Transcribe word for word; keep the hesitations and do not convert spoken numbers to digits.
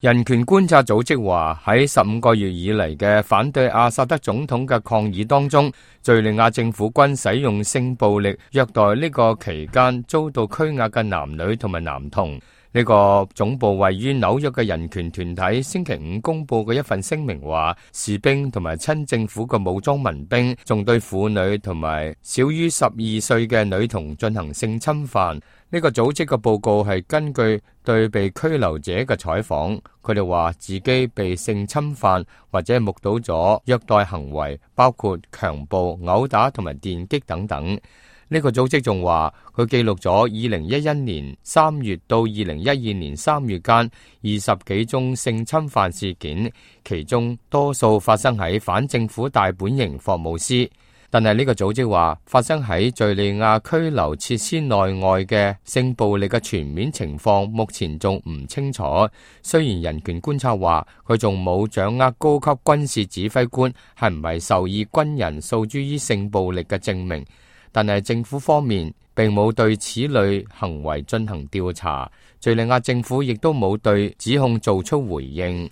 人權觀察組織話，喺十五個月以嚟嘅反對阿薩德總統嘅抗議當中，敘利亞政府軍使用性暴力虐待呢個期間遭到拘押嘅男女同埋男童。呢個總部位於紐約嘅人權團體星期五公布嘅一份聲明話，士兵同埋親政府嘅武裝民兵仲對婦女同埋小於十二歲嘅女童進行性侵犯。呢個組織嘅報告係根據對被拘留者嘅採訪，佢哋話自己被性侵犯或者目睹咗虐待行為，包括強暴、毆打同埋電擊等等。呢個組織仲話，佢記錄咗二零一一年三月到二零一二年三月間二十幾宗性侵犯事件，其中多數發生喺反政府大本營霍姆斯。但係呢個組織話，發生喺敘利亞拘留設施內外嘅性暴力嘅全面情況目前仲唔清楚。雖然人權觀察話，佢仲冇掌握高級軍事指揮官係唔係受意軍人訴諸於性暴力嘅證明，但係政府方面並冇對此類行為進行調查，敘利亞政府亦都冇對指控做出回應。